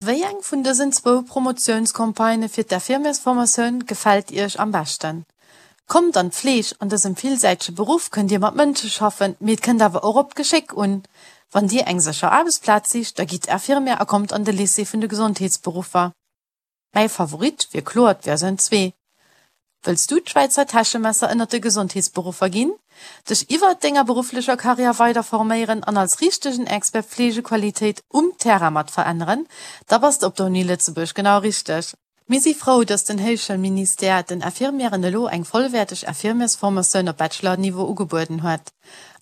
Wéi eng vun dësen zwou Promotiounscampagnë fir d'Infirmiersformatioun gefält Iech am beschten? Kommt an d'Fleeg, an dësem villsäitege Beruff kënnt Dir mat Mënsche schaffen, mee et kënnt awer och op d'Geschéck un. Wann Dir eng sécher Aarbechtsplaz sicht, da gitt Infirmière a kommt an de Lycée vun de Gesondheetsberuffer. Mäi Favorit wier kloer d'Versioun 2. Wëlls du d'Schwäizer Täschemesser ënnert de Gesondheetsberuffer ginn, dech iwwert denger berufflecher Karriär weider forméieren an als richtegen Expert Fleegequalitéit um Terrain mat veränneren? Da bass de op der Uni Lëtzebuerg genau richteg! Mir si frou, dass den Héichschoulministère den Infirmièren elo eng vollwäerteg Infirmiersformatioun op Bachelor-Niveau ugebueden huet.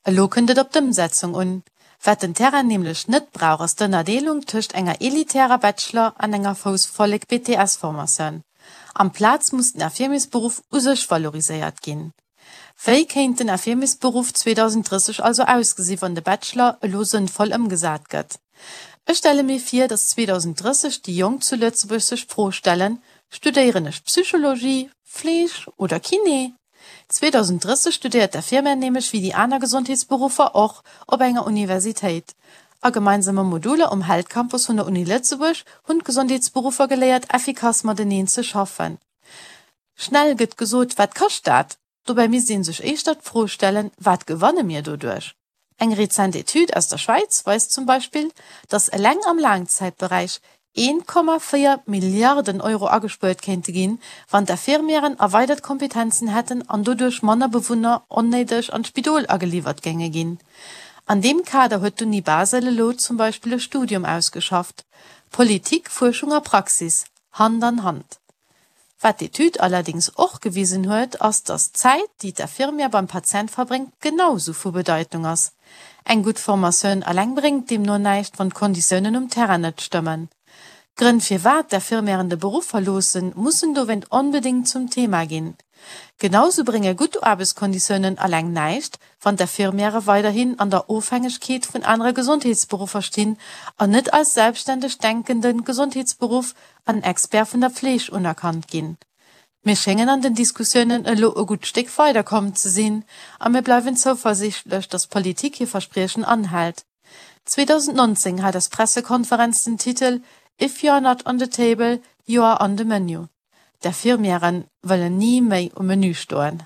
Elo kënnt et op d'Ëmsetzung un. Wat den Terrain nämlech net brauch ass d'Ënnerdeelung tëscht enger elitärer Bachelor an enger Foussvollek BTS-Formatioun. Amplaz muss den Infirmiersberuff u sech valoriséiert ginn. Wéi kéint den Infirmiersberuff 2030 also ausgesi wann de Bachelor elo sënnvoll ëmgesat gëtt? Ech stelle mir vir, datt 2030 déi Jonk zu Lëtzebuerg sech d'Fro stellen, Studéieren ech Psychologie, Fleeg oder Kiné? 2030 studéiert d'Infirmière nämlech wéi déi aner Gesondheetsberuffer och op enger Universitéit. A gemeinsame Moduler um Health Campus vun der Uni Lëtzebuerg hunn d'Gesondheetsberuffer geléiert effikass mateneen ze schaffen. Schnell gëtt gesot, wat kascht dat? Dobäi misst ee sech éischter d'Fro stellen, wat gewanne mir doduerch? Eng rezent Etüd aus der Schwäiz weist zum Beispill, datt eleng am Laangzäitberäich 1,4 Milliarden Euro agespuert kéinte ginn, wann d'Infirmièren erweidert Kompetenzen hätten an doduerch manner Bewunner onnéideg an d'Spidol ageliwwert géinge ginn. An deem Kader huet d'Uni Basel elo zum Beispill e Studium ausgeschafft, Politik, Fuerschung a Praxis, Hand an Hand. Wat d'Etüd allerdéngs och gewisen huet, ass, datt d'Zäit, déi d'Infirmière beim Patient verbréngt, genau sou vu Bedeitung ass. Eng gutt Formatioun eleng bréngt deemno näischt, wann d'Konditiounen um Terrain net stëmmen. D'Grënn firwat d'Infirmièren de Beruff verloossen, mussen dowéint onbedéngt zum Thema ginn. Genau sou brénge gutt Aarbechtskonditiounen eleng näischt, wann d'Infirmièrë weiderhin an der Ofhängegkeet vun anere Gesondheetsberuffer stinn an net als selbstständeg denkende Gesondheetsberuff an Expert vun der Pfleg unerkannt ginn. Mir schéngen an den Diskussiounen elo e gutt Stéck weider komm ze sinn a mir bleiwen zouversichtlech, dass d'Politik hir Verspriechen anhält. 2019 hat eis Pressekonferenz den Titel If you are not on the table, you are on the menu. D'Infirmièren wëllen ni méi um Menü stoen.